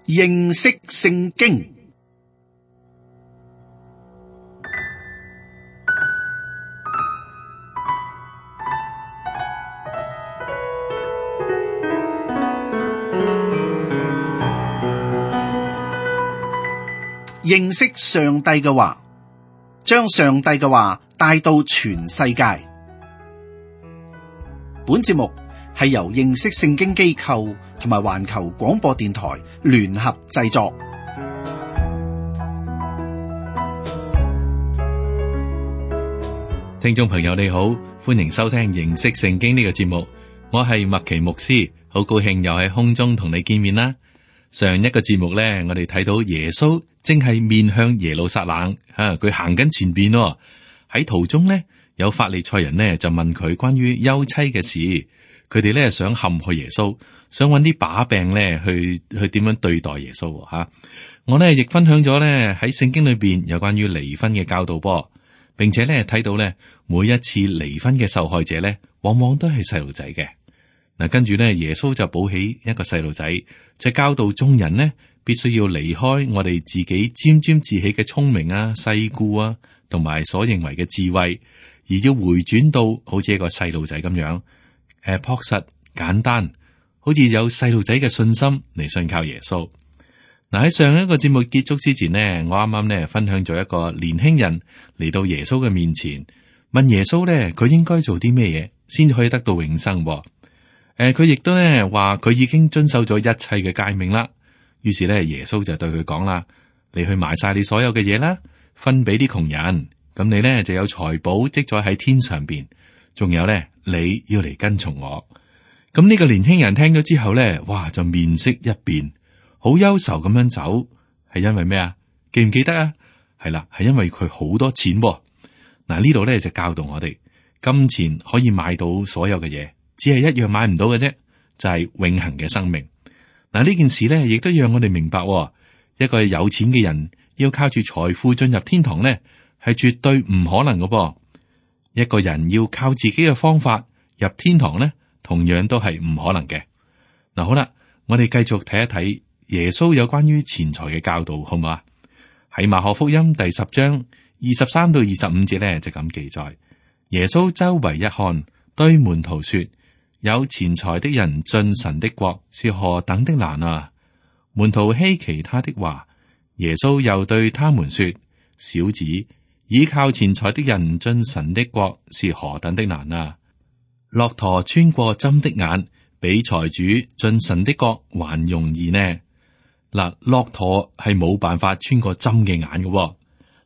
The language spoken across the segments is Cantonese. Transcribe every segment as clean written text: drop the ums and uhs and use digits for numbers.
認識聖經。認識上帝嘅話，將上帝嘅話帶到全世界。本節目係由認識聖經機構同埋環球廣播電台聯合製作。聽眾朋友你好，歡迎收聽認識聖經呢個節目。我係麥奇牧師，好高興又喺空中同你見面啦。上一個節目咧，我哋睇到耶穌正係面向耶路撒冷，佢行緊前邊喎。喺途中呢，有法利賽人呢就問佢關於休妻嘅事，佢哋咧想陷害耶穌，想揾啲把柄咧去點樣對待耶穌吓。我呢亦分享咗咧喺聖經裏邊有關於離婚嘅教導噃，並且咧睇到咧每一次離婚嘅受害者咧，往往都係細路仔嘅。嗱，跟住咧耶穌就抱起一個細路仔，就教導眾人呢必須要離開我哋自己沾沾自喜嘅聰明啊、世故啊，同埋所認為嘅智慧，而要回轉到好似一個細路仔咁樣，樸實簡單，好似有細路仔嘅信心嚟信靠耶穌。嗱，喺上一個節目結束之前呢，我啱啱呢分享咗一個年輕人嚟到耶穌嘅面前，問耶穌呢佢應該做啲咩嘢先可以得到永生。佢亦都咧話佢已經遵守咗一切嘅誡命啦。於是咧耶穌就對佢講啦：你去賣晒你所有嘅嘢啦，分俾啲窮人，咁你咧就有財寶積咗喺天上邊。仲有咧，你要嚟跟從我。咁呢個年輕人聽咗之後咧，哇就面色一變，好憂愁咁樣走。係因為咩啊？記唔記得啊？係啦，係因為佢好多錢。嗱，呢度咧就教導我哋，金錢可以買到所有嘅嘢。只係一樣買唔到嘅啫，就係永恆嘅生命。嗱，呢件事咧，亦都讓我哋明白，一個有錢嘅人要靠住財富進入天堂咧，係絕對唔可能嘅噃。一個人要靠自己嘅方法入天堂咧，同樣都係唔可能嘅。嗱，好啦，我哋繼續睇一睇耶穌有關於錢財嘅教導，好唔好啊？喺馬可福音第10章23到25節咧，就咁記載：耶穌周圍一看，對門徒說，有錢財的人進神的國是何等的難啊！門徒稀奇他的話，耶穌又對他們說：小子，倚靠錢財的人進神的國是何等的難啊！駱駝穿過針的眼，比財主進神的國還容易呢。嗱，駱駝係冇辦法穿過針嘅眼嘅。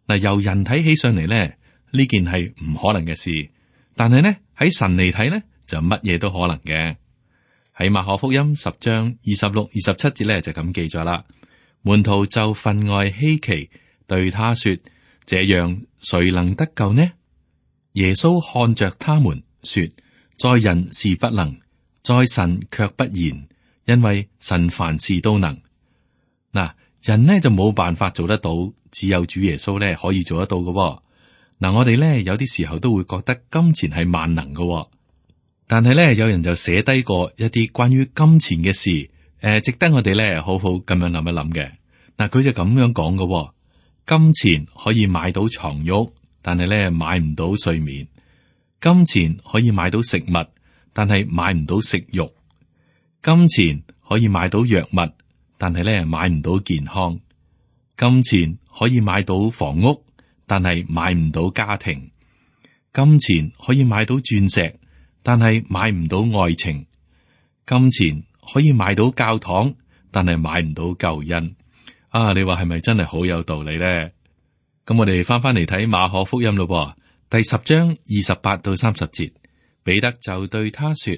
嗱，由人睇起上嚟咧，呢件係唔可能嘅事，但係呢喺神嚟睇呢，就乜嘢都可能嘅。喺馬可福音10章26、27節咧就咁記咗啦。門徒就分外稀奇，對他說：這樣誰能得救呢？耶穌看着他們說：在人是不能，在神卻不然，因為神凡事都能。嗱，人呢就冇辦法做得到，只有主耶穌咧可以做得到嘅。嗱，我哋咧有啲時候都會覺得金錢係萬能嘅。但係咧，有人就寫低過一啲關於金錢嘅事，值得我哋咧好好咁樣諗一諗嘅。嗱，佢就咁樣講嘅：金錢可以買到床褥，但係咧買唔到睡眠；金錢可以買到食物，但係買唔到食慾；金錢可以買到藥物，但係咧買唔到健康；金錢可以買到房屋，但係買唔到家庭；金錢可以買到鑽石，但係買唔到愛情；金錢可以買到教堂，但係買唔到救恩。啊，你話係咪真係好有道理咧？咁我哋翻嚟睇馬可福音咯，第10章28到30節，彼得就對他說：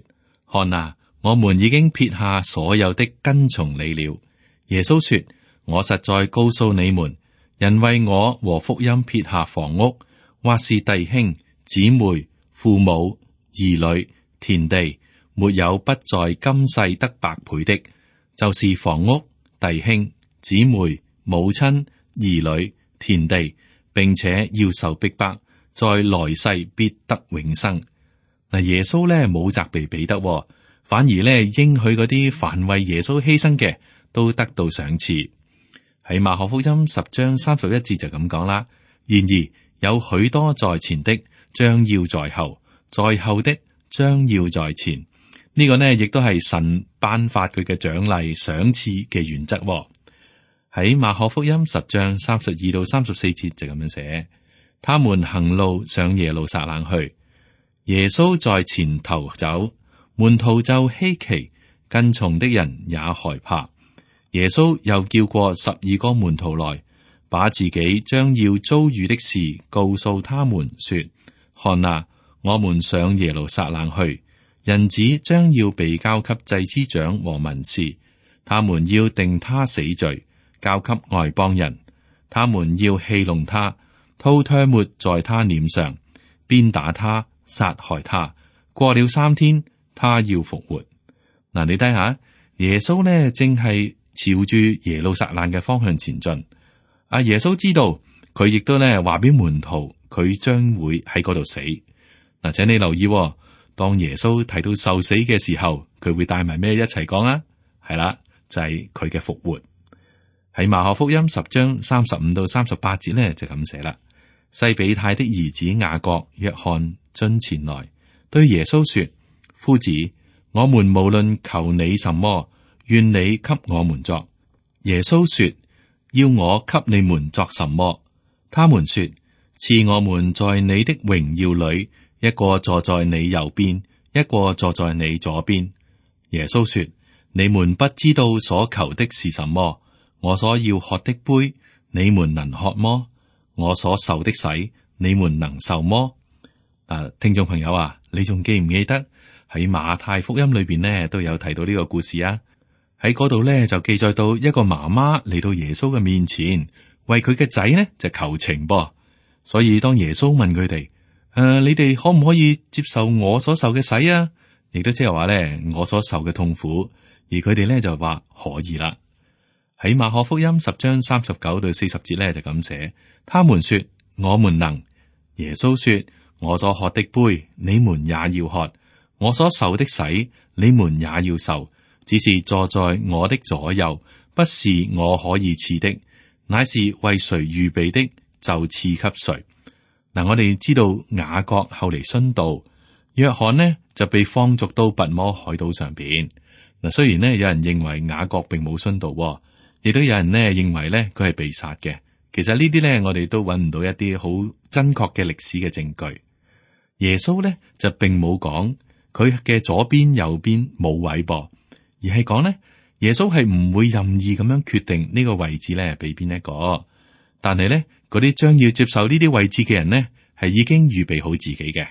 看啊，我們已經撇下所有的跟從你了。耶穌說：我實在告訴你們，人為我和福音撇下房屋，或是弟兄、姊妹、父母、兒女、田地，沒有不在今世得百倍的，就是房屋、弟兄、姊妹、母親、兒女、田地，並且要受逼迫，在來世必得永生。嗱，耶穌咧冇責備彼得，反而咧應許嗰啲凡為耶穌犧牲嘅，都得到賞賜。喺馬可福音10章31節就咁講啦。然而有許多在前的，將要在後；在後的，將要在前。呢個呢，亦都係神頒發佢嘅獎勵賞賜嘅原則。喺馬可福音10章32到34節就咁樣寫：他們行路上耶路撒冷去，耶穌在前頭走，門徒就希奇，跟從的人也害怕。耶穌又叫過12個門徒來，把自己將要遭遇的事告訴他們，說：看啊，我們上耶路撒冷去，人子將要被交給祭司長和文士，他們要定他死罪，交給外邦人，他們要戲弄他，吐唾沫在他臉上，鞭打他，殺害他。過了3天，他要復活。嗱，你睇下，耶穌呢正係朝住耶路撒冷嘅方向前進。阿耶穌知道，佢亦都呢話俾門徒，佢將會喺嗰度死。嗱，請你留意，當耶穌提到受死嘅時候，佢會帶埋咩一齊講啊？係啦，就係佢嘅復活。喺馬可福音10章35到38節呢，就咁寫啦。西比泰的兒子雅各、約翰進前來，對耶穌說：夫子，我們無論求你什麼，願你給我們作。耶穌說：要我給你們作什麼？他們說：賜我們在你的榮耀裏，一個坐在你右邊，一個坐在你左邊。耶穌說：你們不知道所求的是什麼。我所要喝的杯，你們能喝麼？我所受的洗，你們能受麼？聽眾朋友啊，你仲記唔記得喺馬太福音裏邊呢都有提到呢個故事啊？喺嗰度呢就記載到一個媽媽嚟到耶穌嘅面前，為佢嘅仔呢就求情噃。所以當耶穌問佢哋：你哋可唔可以接受我所受嘅洗啊？亦都即係話呢，我所受嘅痛苦，而佢哋呢就話可以啦。喺馬可福音10章39到40節咧就咁寫，他們說我們能。耶穌說：我所喝的杯，你們也要喝；我所受的洗，你們也要受。只是坐在我的左右，不是我可以賜的，乃是為誰預備的，就賜給誰。嗱，我哋知道雅各後嚟殉道，約翰呢就被放逐到拔摩海島上邊。嗱，雖然呢有人認為雅各並冇殉道，亦都有人呢認為呢佢係被殺嘅。其實呢啲呢，我哋都揾唔到一啲好真確嘅歷史嘅證據。耶穌呢就並冇講佢嘅左邊右邊冇位噃，而係講呢，耶穌係唔會任意咁樣決定呢個位置呢俾邊一個。但係呢，嗰啲將要接受呢啲位置嘅人呢，係已經預備好自己嘅。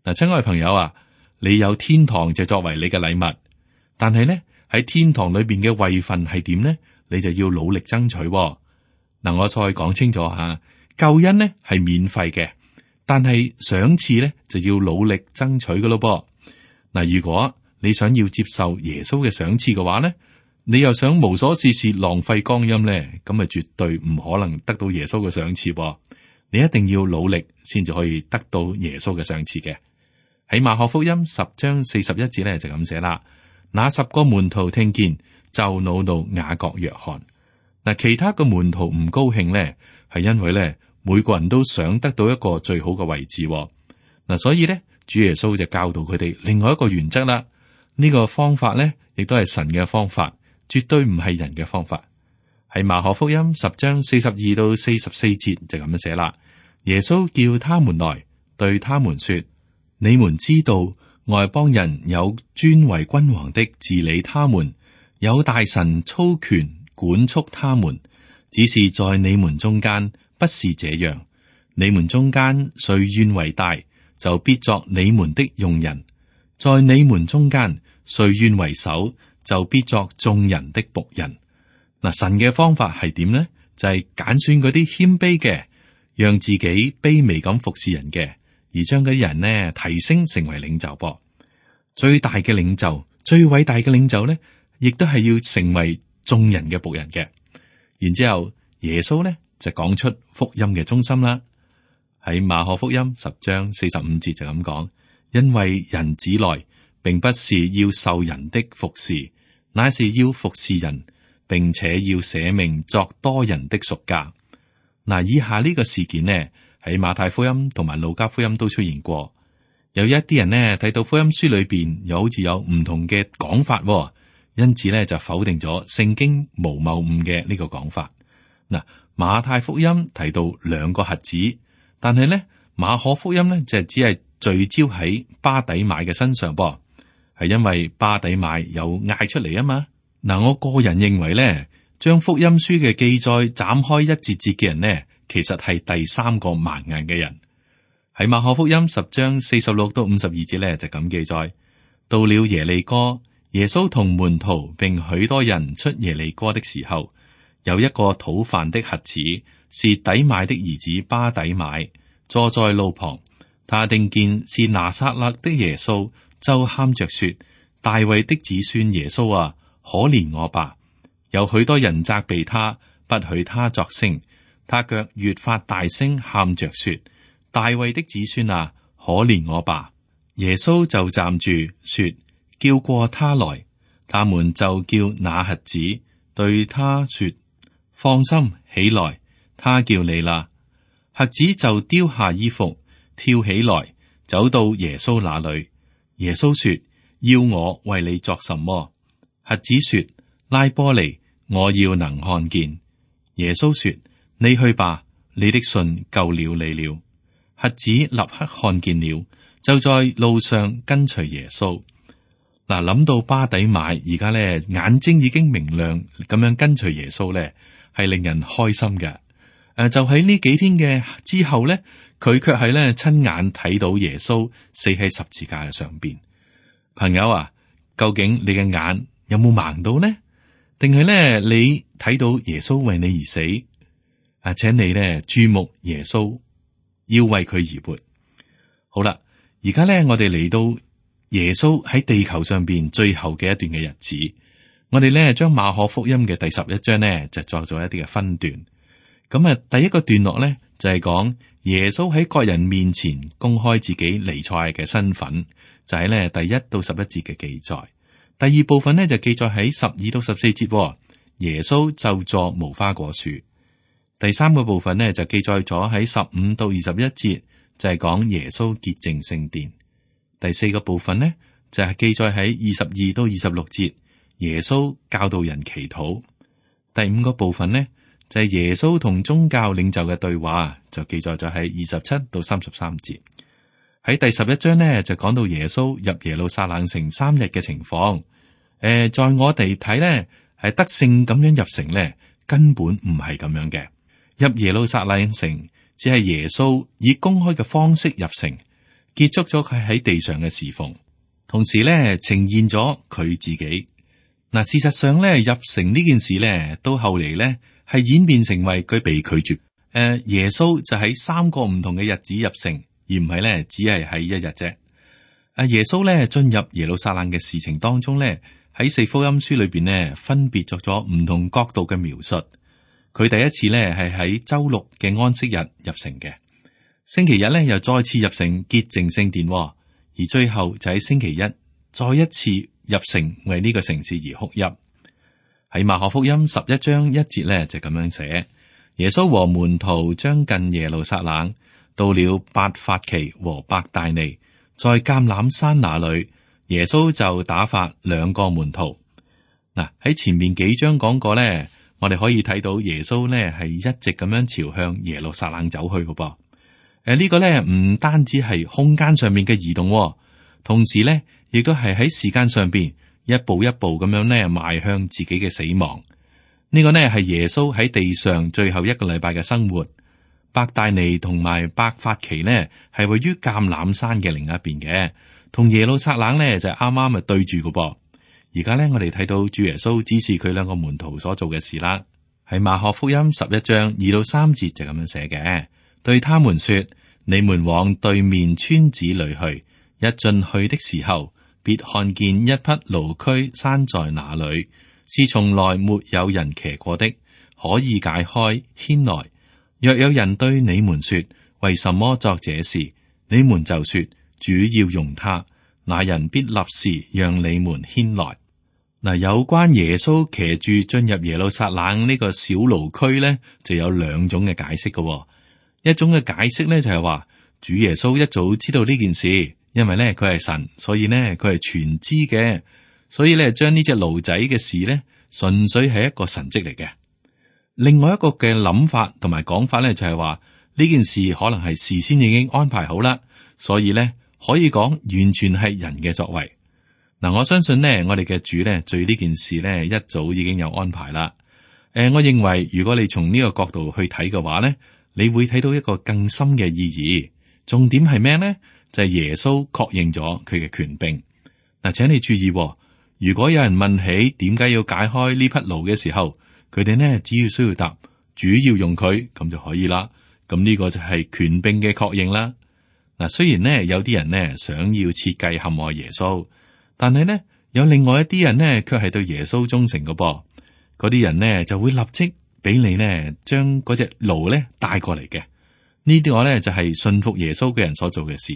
嗱，親愛朋友啊，你有天堂就作為你嘅禮物，但係呢喺天堂裏邊嘅位份係點呢？你就要努力爭取。嗱，我再講清楚吓，救恩呢係免費嘅，但係賞賜呢就要努力爭取噶咯噃。嗱，如果你想要接受耶穌嘅賞賜嘅話呢，你又想無所事事浪費光陰呢，咁啊絕對唔可能得到耶穌嘅賞賜噃。你一定要努力先至可以得到耶穌嘅賞賜嘅。喺馬可福音10章41節咧就咁寫啦。那10個門徒聽見，就惱怒雅各、約翰。嗱，其他嘅門徒唔高興咧，係因為咧每個人都想得到一個最好嘅位置。嗱，所以咧主耶穌就教導佢哋另外一個原則啦。呢個方法咧亦都係神嘅方法，絕對唔係人嘅方法。喺馬可福音10章42到44節就咁樣寫啦。耶穌叫他們來，對他們說：你們知道外邦人有尊為君王的治理他們，有大臣操權管束他們，只是在你們中間不是這樣。你們中間誰願為大，就必作你們的用人；在你們中間誰願為首，就必作眾人的僕人。嗱，神嘅方法係點呢？就係揀選嗰啲謙卑嘅，讓自己卑微咁服侍人嘅，而將嗰啲人呢提升成為領袖噃。最大嘅領袖，最偉大嘅領袖呢，亦都係要成為眾人嘅僕人嘅。然之後耶穌呢就講出福音嘅中心啦。喺馬可福音10章45節就咁講：因為人子來，並不是要受人的服侍，乃是要服侍人，並且要捨命作多人的贖價。嗱，以下呢個事件呢，喺馬太福音同埋路加福音都出現過。有一啲人呢睇到福音書裏邊又好似有唔同嘅講法，因此呢就否定咗聖經無謬誤嘅呢個講法。嗱，馬太福音提到兩個瞎子，但係呢馬可福音呢就只係聚焦喺巴底買嘅身上噃，係因為巴底買有嗌出嚟啊嘛。嗱，我個人認為呢，將福音書嘅記載斬開一節節嘅人呢，其實係第三個盲眼嘅人。喺馬可福音10章46到52節咧就咁記載：到了耶利哥，耶穌同門徒並許多人出耶利哥的時候，有一個討飯的瞎子，是底買的兒子巴底買，坐在路旁。他聽見是拿撒勒的耶穌，就喊着說：大衛的子孫耶穌啊，可憐我吧！有許多人責備他，不許他作聲，他卻越發大聲喊着說：大衛的子孫啊，可憐我吧！耶穌就站住說：叫過他來。他們就叫那瞎子，對他說：放心，起來，他叫你啦。瞎子就丟下衣服，跳起來，走到耶穌那裏。耶穌說：要我為你作什麼？瞎子說：拉波尼，我要能看見。耶穌說：你去吧，你的信救了你了。瞎子立刻看見了，就在路上跟隨耶穌。嗱，諗到巴底買而家咧眼睛已經明亮，咁樣跟隨耶穌咧係令人開心嘅。就喺呢幾天嘅之後咧，佢卻係咧親眼睇到耶穌死喺十字架嘅上邊。朋友啊，究竟你嘅眼有冇盲到呢？定係咧你睇到耶穌為你而死？請你咧注目耶穌，要為佢而活。好啦，而家咧我哋嚟到耶穌喺地球上邊最後嘅一段嘅日子，我哋咧將馬可福音嘅第11章咧就作咗一啲嘅分段。咁啊，第一個段落咧就係講耶穌喺各人面前公開自己彌賽亞嘅身份，就係咧第1到11節嘅記載。第二部分咧就記載喺12到14節，耶穌就坐無花果樹。第三個部分咧就記載咗喺15到21節，就係講耶穌潔淨聖殿。第四個部分呢，就係記載喺22到26節，耶穌教導人祈禱。第五個部分呢，就係耶穌同宗教領袖嘅對話，就記載咗喺27到33節。喺第11章呢，就講到耶穌入耶路撒冷城3日嘅情況。在我哋睇呢，係得勝咁樣入城呢，根本唔係咁樣嘅。入耶路撒冷城只係耶穌以公開嘅方式入城，結束咗佢喺地上嘅侍奉，同時咧呈現咗佢自己。嗱，事實上咧入城呢件事咧，到後嚟咧係演變成為佢被拒絕。耶穌就喺3個唔同嘅日子入城，而唔係咧只係喺一日啫。耶穌咧進入耶路撒冷嘅事情當中咧，喺4福音書裏邊咧分別作咗唔同角度嘅描述。佢第一次咧係喺周六嘅安息日入城嘅。星期日咧又再次入城潔淨聖殿，而最後就喺星期一再一次入城為呢個城市而哭泣。喺馬可福音11章1節咧就咁樣寫：耶穌和門徒將近耶路撒冷，到了伯法其和伯大尼，在橄欖山那裏，耶穌就打發2個門徒。嗱，喺前面幾章講過咧，我哋可以睇到耶穌咧係一直咁樣朝向耶路撒冷走去嘅噃。呢個咧唔單止係空間上面嘅移動，同時咧亦都係喺時間上邊一步一步咁樣咧邁向自己嘅死亡。呢個呢係耶穌喺地上最後1個禮拜嘅生活。伯大尼同埋伯法其呢係位於橄欖山嘅另一邊嘅，同耶路撒冷呢就啱啱咪對住嘅噃。而家呢，我哋睇到主耶穌指示佢2個門徒所做嘅事啦。喺馬可福音11章2到3節就咁樣寫嘅，對他們說：你們往對面村子裏去，一進去的時候，別看見一匹驢駒拴在那裏，是從來沒有人騎過的，可以解開牽來。若有人對你們說：為什麼作這事？你們就說：主要用他，那人必立時讓你們牽來。嗱，有關耶穌騎住進入耶路撒冷呢個小驢區咧，就有兩種嘅解釋嘅。一種嘅解釋咧就係話，主耶穌一早知道呢件事，因為咧佢係神，所以咧佢係全知嘅，所以咧將呢隻驢仔嘅事咧，純粹係一個神蹟嚟嘅。另外一個嘅諗法同埋講法咧就係話，呢件事可能係事先已經安排好啦，所以咧可以講完全係人嘅作為。嗱，我相信呢，我哋嘅主呢，對呢件事呢，一早已經有安排啦。我認為如果你從呢個角度去睇嘅話呢，你會睇到一個更深嘅意義。重點係咩呢？就係耶穌確認咗佢嘅權柄。嗱，請你注意，如果有人問起點解要解開呢匹驢嘅時候，佢哋呢只要需要答主要用佢咁就可以啦。咁呢個就係權柄嘅確認啦。嗱，雖然呢有啲人呢想要設計陷害耶穌。但係呢，有另外一啲人呢，卻係對耶穌忠誠嘅噃。嗰啲人呢，就會立即俾你呢，將嗰隻驢呢帶過嚟嘅。呢啲我呢，就係信服耶穌嘅人所做嘅事。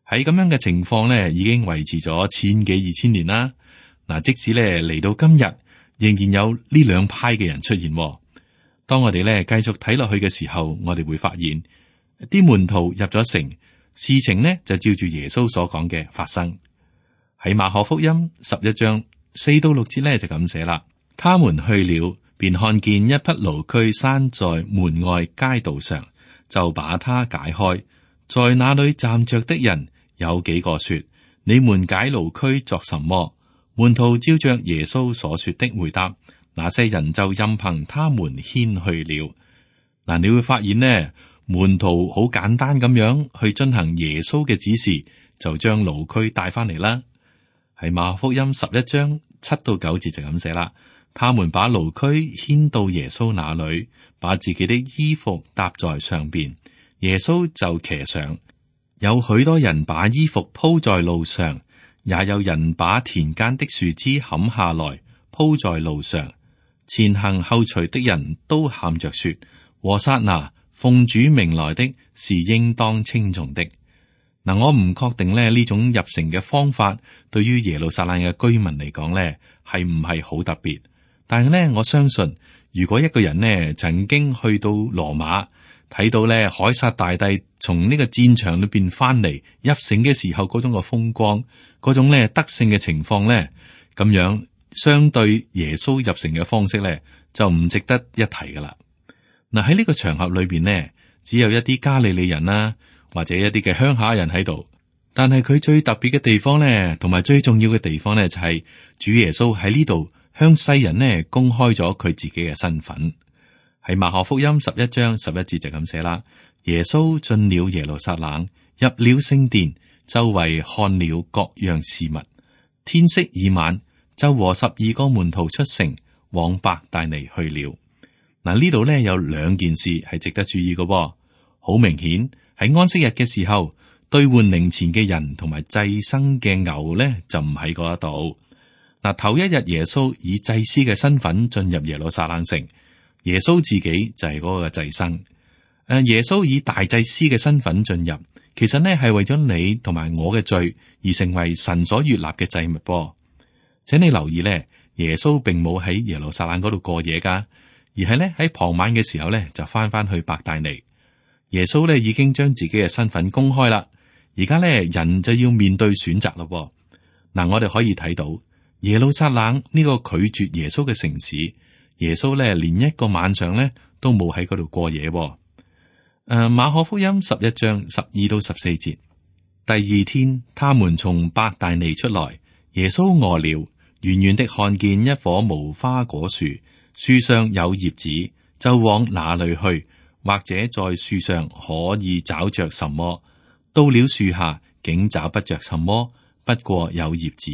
喺咁樣嘅情況呢，已經維持咗千幾2000年啦。嗱，即使呢嚟到今日，仍然有呢兩派嘅人出現。當我哋呢繼續睇落去嘅時候，我哋會發現啲門徒入咗城，事情呢就照住耶穌所講嘅發生。喺馬可福音11章4到6節呢，就咁寫啦。他們去了，便看見一匹驢駒拴在門外街道上，就把它解開。在那裏站着的人有幾個說：你們解驢駒作什麼？門徒照着耶穌所說的回答，那些人就任憑他們牽去了。嗱，你會發現呢，門徒好簡單咁樣去進行耶穌嘅指示，就將驢駒帶翻嚟啦。係馬可福音11章7到9節就咁寫啦。他們把驢駒牽到耶穌那裏，把自己的衣服搭在上邊，耶穌就騎上。有許多人把衣服鋪在路上，也有人把田間的樹枝砍下來鋪在路上。前行後隨的人都喊着說：和散那，奉主名來的是應當稱頌的。嗱，我唔確定呢種入城嘅方法對於耶路撒冷嘅居民嚟講呢係唔係好特別，但係呢，我相信如果一個人呢曾經去到羅馬，睇到呢凱撒大帝從呢個戰場裏邊翻嚟入城嘅時候嗰種嘅風光，嗰種呢得勝嘅情況呢，咁樣相對耶穌入城嘅方式呢，就唔值得一提噶啦。嗱，喺呢個場合裏邊呢，只有一啲加利利人啦，或者一啲嘅鄉下人喺度，但係佢最特別嘅地方呢，同埋最重要嘅地方呢，就係主耶穌喺呢度向世人呢公開咗佢自己嘅身份。喺馬可福音11章11節就咁寫啦。耶穌進了耶路撒冷，入了聖殿，周圍看了各樣事物。天色已晚，就和12個門徒出城，往伯大尼去了。嗱，呢度呢有兩件事係值得注意嘅，好明顯。喺安息日嘅時候，兌換零錢嘅人同埋祭牲嘅牛咧就唔喺嗰度。嗱，頭一日耶穌以祭司嘅身份進入耶路撒冷城，耶穌自己就係嗰個祭牲。耶穌以大祭司嘅身份進入，其實呢係為咗你同埋我嘅罪而成為神所悅納嘅祭物噃。請你留意呢，耶穌並冇喺耶路撒冷嗰度過夜噶，而係呢喺傍晚嘅時候呢就翻去伯大尼。耶穌咧已經將自己嘅身份公開啦，而家咧人就要面對選擇咯。嗱，我哋可以睇到耶路撒冷呢個拒絕耶穌嘅城市，耶穌咧連一個晚上咧都冇喺嗰度過夜。馬可福音11章12到14節，第二天，他們從伯大尼出來，耶穌餓了，遠遠的看見一棵無花果樹，樹上有葉子，就往那裏去。或者在樹上可以找着什麼，到了樹下竟找不着什麼，不過有葉子，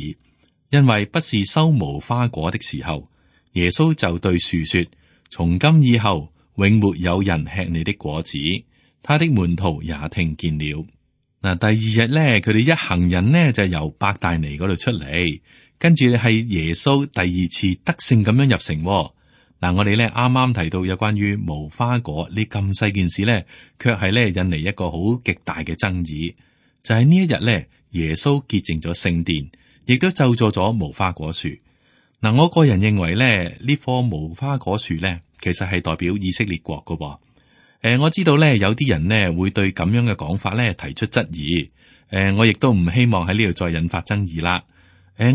因為不是收無花果的時候。耶穌就對樹說：從今以後，永沒有人吃你的果子。他的門徒也聽見了。嗱，第二日咧，佢哋一行人呢就由伯大尼嗰度出嚟，跟住係耶穌第二次得勝咁樣入城。嗱，我哋咧啱啱提到有關於無花果呢咁細件事咧，卻係咧引嚟一個好極大嘅爭議。就係呢一日咧，耶穌潔淨咗聖殿，亦都咒詛咗無花果樹。嗱，我個人認為咧，呢棵無花果樹咧，其實係代表以色列國噶噃。我知道咧，有啲人呢會對咁樣嘅講法咧提出質疑。我亦都唔希望喺呢度再引發爭議啦。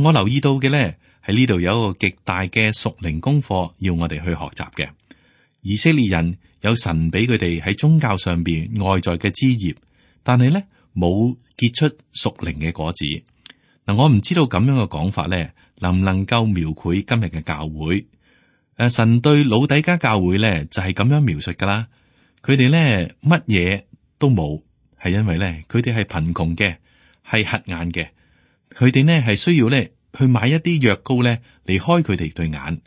我留意到嘅咧，喺呢度有一個極大嘅屬靈功課要我哋去學習嘅。以色列人有神俾佢哋喺宗教上邊外在嘅枝葉，但係咧冇結出屬靈嘅果子。嗱，我唔知道咁樣嘅講法咧，能唔能夠描繪今日嘅教會？神對老底嘉教會咧就係咁樣描述噶啦。佢哋咧乜嘢都冇，係因為咧佢哋係貧窮嘅，係瞎眼嘅。佢哋呢係需要咧去買一啲藥膏咧嚟開佢哋對眼。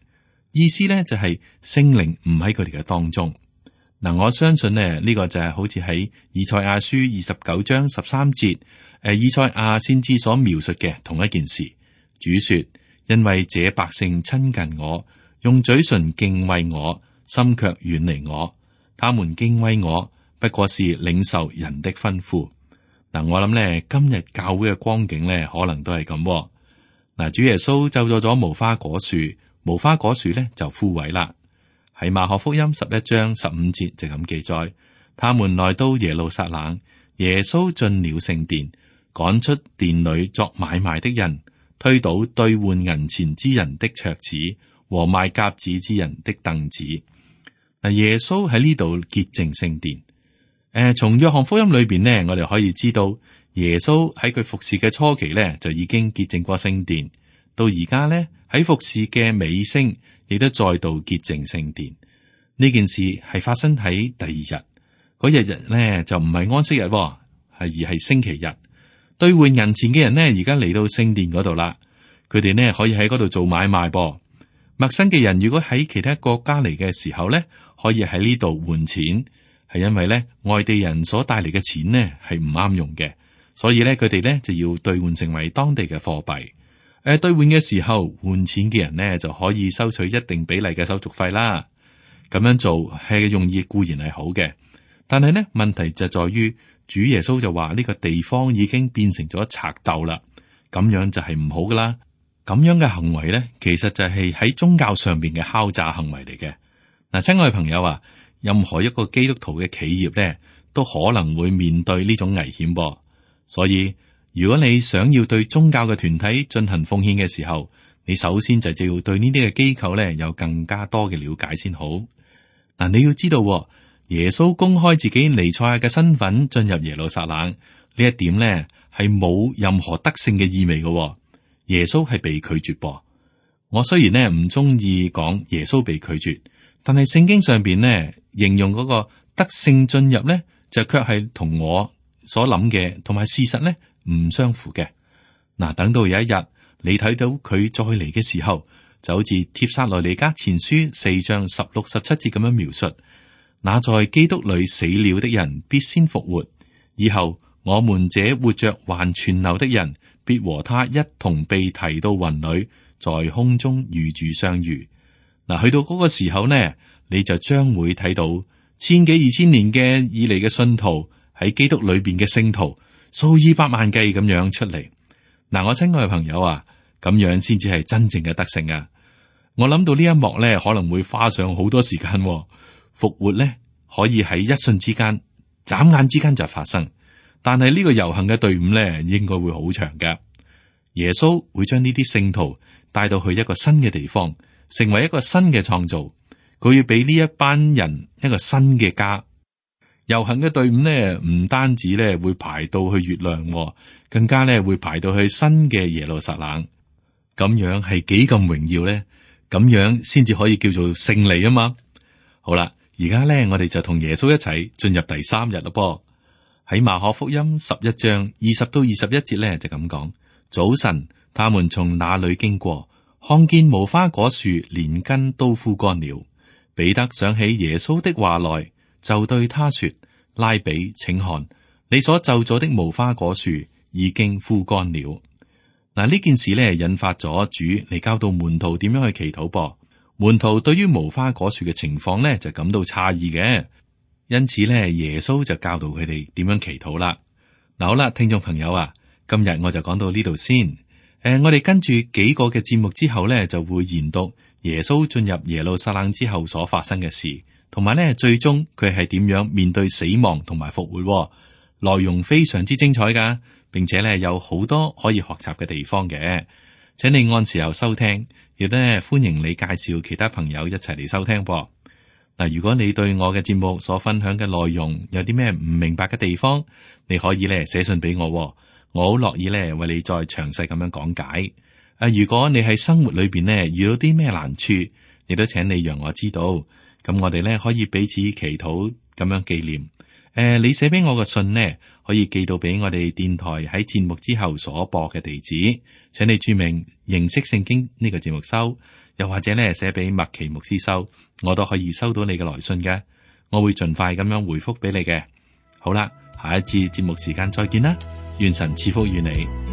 意思咧就係聖靈唔喺佢哋嘅當中。嗱，我相信呢個就係好似喺以賽亞書29章13節，以賽亞先知所描述嘅同一件事。主說：因為這百姓親近我，用嘴唇敬畏我，心卻遠離我。他們敬畏我，不過是領受人的吩咐。嗱，我諗咧，今日教會嘅光景咧，可能都係咁。嗱，主耶穌咒詛咗無花果樹，無花果樹咧就枯萎啦。喺馬可福音11章15節就咁記載：他們來到耶路撒冷，耶穌進了聖殿，趕出殿裏作買賣的人，推倒兌換銀錢之人的桌子和賣鴿子之人的凳子。嗱，耶穌喺呢度潔淨聖殿。從約翰福音裏邊呢，我哋可以知道耶穌喺佢服侍嘅初期呢，就已經潔淨過聖殿。到而家呢，喺服侍嘅尾聲，亦都再度潔淨聖殿。呢件事係發生喺第二日，嗰日呢就唔係安息日，而係星期日。兌換銀錢嘅人呢，而家嚟到聖殿嗰度啦。佢哋呢可以喺嗰度做買賣噃。陌生嘅人如果喺其他國家嚟嘅時候呢，可以喺呢度換錢，係因為呢外地人所帶嚟嘅錢呢係唔啱用嘅，所以呢佢哋呢就要兌換成為當地嘅貨幣。兌換嘅時候換錢嘅人呢就可以收取一定比例嘅手續費啦。咁樣做係用意固然係好嘅，但係呢問題就在於主耶穌就話呢個地方已經變成咗賊竇啦，咁樣就係唔好噶啦。咁樣嘅行為咧，其實就係喺宗教上邊嘅敲詐行為嚟嘅。嗱，親愛嘅朋友啊，任何一個基督徒嘅企業咧，都可能會面對呢種危險噃。所以，如果你想要對宗教嘅團體進行奉獻嘅時候，你首先就要對呢啲嘅機構咧有更加多嘅了解先好。嗱，你要知道，耶穌公開自己彌賽亞嘅身份進入耶路撒冷呢一點咧，係冇任何得勝嘅意味嘅。耶穌係被拒絕噃。我雖然呢唔中意講耶穌被拒絕，但係聖經上邊呢形容嗰個得勝進入呢，就卻係同我所諗嘅同埋事實呢唔相符嘅。嗱，等到有一日你睇到佢再嚟嘅時候，就好似帖撒羅尼迦前書4章16、17節咁樣描述：那在基督裏死了的人必先復活，以後我們這活着還存留的人，必和他一同被提到雲裏，在空中與主相遇。嗱，去到嗰個時候呢，你就將會睇到千幾2000年嘅以嚟嘅信徒喺基督裏邊嘅聖徒數以百萬計咁樣出嚟。嗱，我親愛嘅朋友啊，咁樣先至係真正嘅得勝啊！我諗到呢一幕呢，可能會花上好多時間。復活呢，可以喺一瞬之間、眨眼之間就發生。但係呢個遊行嘅隊伍咧，應該會好長嘅。耶穌會將呢啲聖徒帶到去一個新嘅地方，成為一個新嘅創造。佢要俾呢一班人一個新嘅家。遊行嘅隊伍呢，唔單止咧會排到去月亮，更加咧會排到去新嘅耶路撒冷。咁樣係幾咁榮耀咧？咁樣先至可以叫做勝利啊嘛。好啦，而家咧我哋就同耶穌一齊進入第3日咯噃。喺馬可福音11章20到21節咧就咁講：早晨，他們從那裏經過，看見無花果樹連根都枯乾了。彼得想起耶穌的話來，就對他說：拉比，請看，你所咒詛的無花果樹已經枯乾了。嗱，呢件事咧引發咗主嚟教導門徒點樣去祈禱噃。門徒對於無花果樹嘅情況咧就感到詫異嘅。因此咧，耶穌就教導佢哋點樣祈禱啦。嗱，好啦，聽眾朋友啊，今日我就講到呢度先。我哋跟住幾個嘅節目之後呢，就會研讀耶穌進入耶路撒冷之後所發生嘅事，同埋呢最終佢係點樣面對死亡同埋復活。內容非常之精彩噶，並且呢有好多可以學習嘅地方嘅，請你按時候收聽，亦都呢歡迎你介紹其他朋友一齊嚟收聽噃。嗱，如果你對我嘅節目所分享嘅內容有啲咩唔明白嘅地方，你可以呢寫信俾我，我好樂意呢為你再詳細咁樣講解。如果你喺生活裏邊呢遇到啲咩難處，亦都請你讓我知道，咁我哋呢可以彼此祈禱咁樣紀念。你寫俾我嘅信呢，可以寄到俾我哋電台喺節目之後所播嘅地址，請你注明認識聖經呢個節目收，又或者呢寫俾麥奇牧師收，我都可以收到你嘅來信嘅，我會盡快咁樣回覆俾你嘅。好啦，下一次節目時間再見啦，願神賜福與你。